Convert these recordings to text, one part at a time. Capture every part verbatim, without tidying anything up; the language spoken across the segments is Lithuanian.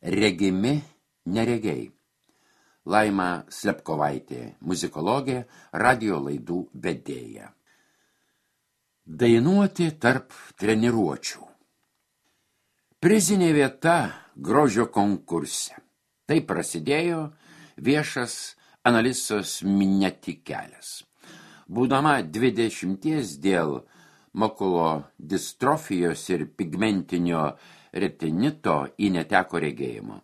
Regimi neregiai. Laima Slepkovaitė, muzikologė, radio laidų vedėja. Dainuoti tarp treniruočių. Prizinė vieta grožio konkurse. Tai prasidėjo viešas Analisos Mineti kelias. Būdama dvidešimties dėl makulo distrofijos ir pigmentinio retinito į neteko regėjimo.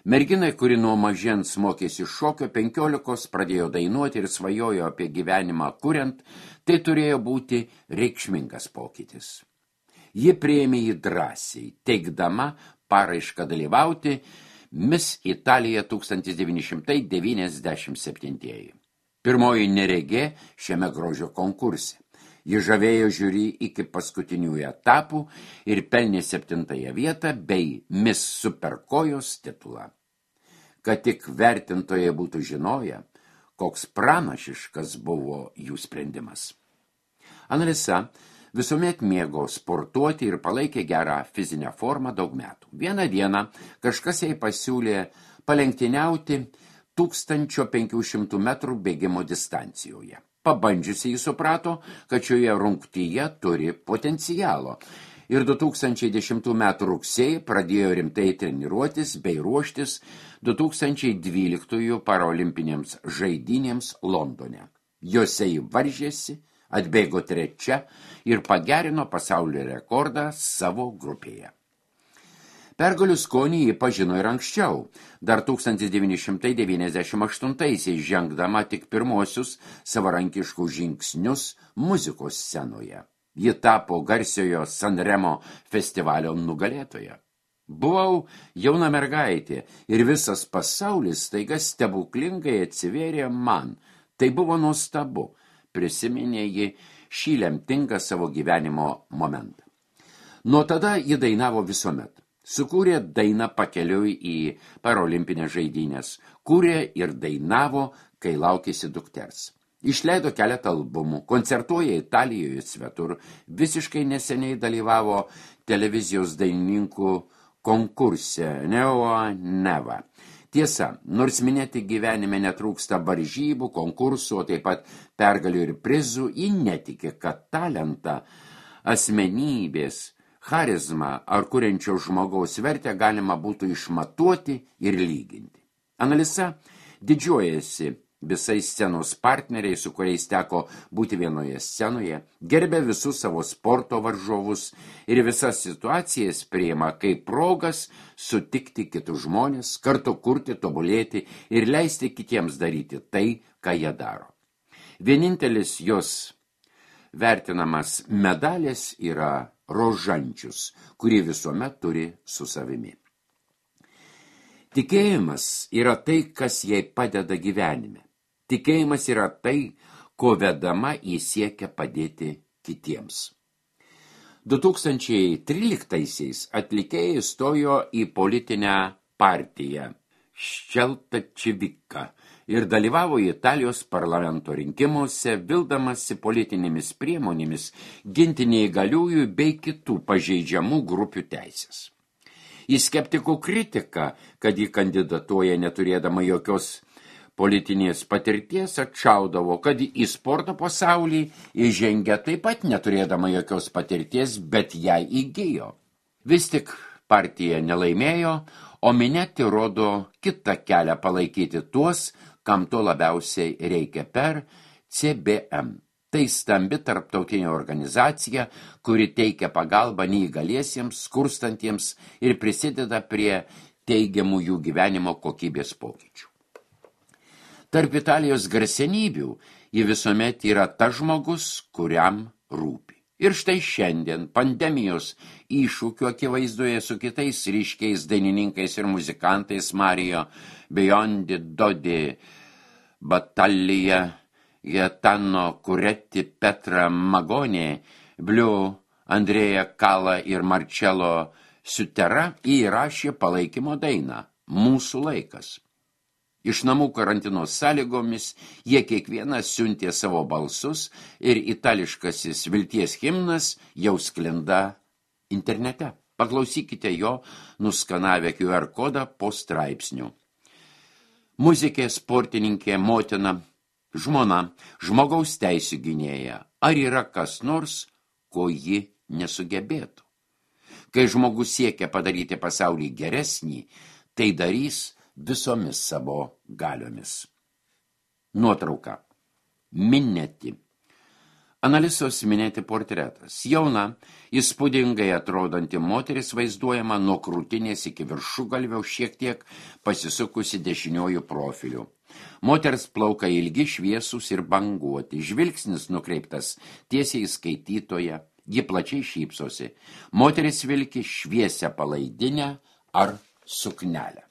Merginai, kuri nuo mažens mokėsi šokio, penkiolikos pradėjo dainuoti ir svajojo apie gyvenimą kuriant, tai turėjo būti reikšmingas pokytis. Ji priėmė jį drąsiai, teikdama paraišką dalyvauti Miss Italija tūkstantis devyni šimtai devyniasdešimt septinti. Pirmoji neregė šiame grožio konkurse. Ji žavėjo žiūri iki paskutiniųjų etapų ir pelnė septintąją vietą bei Miss Superkojos titulą. Kad tik vertintojai būtų žinoję, koks pranašiškas buvo jų sprendimas. Analisa visuomet mėgo sportuoti ir palaikė gerą fizinę formą daug metų. Vieną dieną kažkas jai pasiūlė palenktyniauti tūkstančio penkių šimtų metrų bėgimo distancijoje. Pabandžiusi jį suprato, kad šioje rungtyje turi potencialo ir du tūkstančiai dešimtų metų rugsėjį pradėjo rimtai treniruotis bei ruoštis du tūkstančiai dvyliktųjų parolimpinėms žaidynėms Londone. Jose jį varžėsi, atbėgo trečia ir pagerino pasaulio rekordą savo grupėje. Pergalių skonį jį pažino ir anksčiau, dar tūkstantis devyni šimtai devyniasdešimt aštuntaisiais žengdama tik pirmosius savarankiškus žingsnius muzikos scenoje. Ji tapo garsiojo Sanremo festivalio nugalėtoja. Buvau jauna mergaitė ir visas pasaulis staiga stebuklingai atsivėrė man. Tai buvo nuostabu, prisiminė ji šį lemtingą savo gyvenimo momentą. Nuo tada ji dainavo visuomet. Sukūrė dainą pakeliui į parolimpinės žaidynės, kūrė ir dainavo, kai laukėsi dukters. Išleido keletą albumų, koncertuoja Italijoje svetur, visiškai neseniai dalyvavo televizijos dainininkų konkurse Neo Neva. Tiesa, nors minėti gyvenime netrūksta varžybų, konkursų, o taip pat pergalių ir prizų, ji netiki, kad talentą, asmenybės, charizmą ar kuriančio žmogaus vertę galima būtų išmatuoti ir lyginti. Analisa didžiuojasi visais scenos partneriais, su kuriais teko būti vienoje scenoje, gerbė visus savo sporto varžovus ir visas situacijas priima kaip progas sutikti kitus žmonės, kartu kurti, tobulėti ir leisti kitiems daryti tai, ką jie daro. Vienintelis jos vertinamas medalis yra rožančius, kurį visuomet turi su savimi. Tikėjimas yra tai, kas jai padeda gyvenime. Tikėjimas yra tai, ko vedama į siekia padėti kitiems. du tūkstančiai tryliktaisiais atlikėjai stojo į politinę partiją Ščeltačivika ir dalyvavo Italijos parlamento rinkimuose, vildamasi politinėmis priemonėmis ginti neįgaliųjų bei kitų pažeidžiamų grupių teisės. Į skeptikų kritiką, kad ji kandidatuoja neturėdama jokios politinės patirties, atšaudavo, kad į sporto pasaulį įžengia taip pat neturėdama jokios patirties, bet ją įgijo. Vis tik partija nelaimėjo, o Mineti rodo kitą kelią palaikyti tuos, kam to labiausiai reikia per C B M. Tai stambi tarptautinė organizacija, kuri teikia pagalbą neįgaliesiems, skurstantiems ir prisideda prie teigiamų jų gyvenimo kokybės pokyčių. Tarp Italijos garsenybių ji visuomet yra tas žmogus, kuriam rūpi. Ir štai šiandien pandemijos iššūkių akivaizdoje su kitais ryškiais dainininkais ir muzikantais Mario Biondi, Dodi, Batalija, Gaetano Kuretti, Petra Magonė, Bliu, Andrėja Kala ir Marcello Sutera įrašė palaikymo dainą Mūsų laikas. Iš namų karantino sąlygomis jie kiekvienas siuntė savo balsus ir itališkasis vilties himnas jau sklinda internete. Paklausykite jo, nuskanavę Q R kodą po straipsnių. Muzikė, sportininkė, motina, žmona, žmogaus teisių gynėja. Ar yra kas nors, ko ji nesugebėtų? Kai žmogus siekia padaryti pasaulį geresnį, tai darys visomis savo galiomis. Nuotrauka. Minėti. Analisos Minėti portretas. Jauna, įspūdingai atrodanti moteris vaizduojama nuo krūtinės iki viršugalvio šiek tiek pasisukusi dešiniojų profiliu. Moters plaukai ilgi, šviesūs ir banguoti. Žvilgsnis nukreiptas tiesiai į skaitytoją. Ji plačiai šypsosi. Moteris vilki šviesią palaidinę ar suknelę.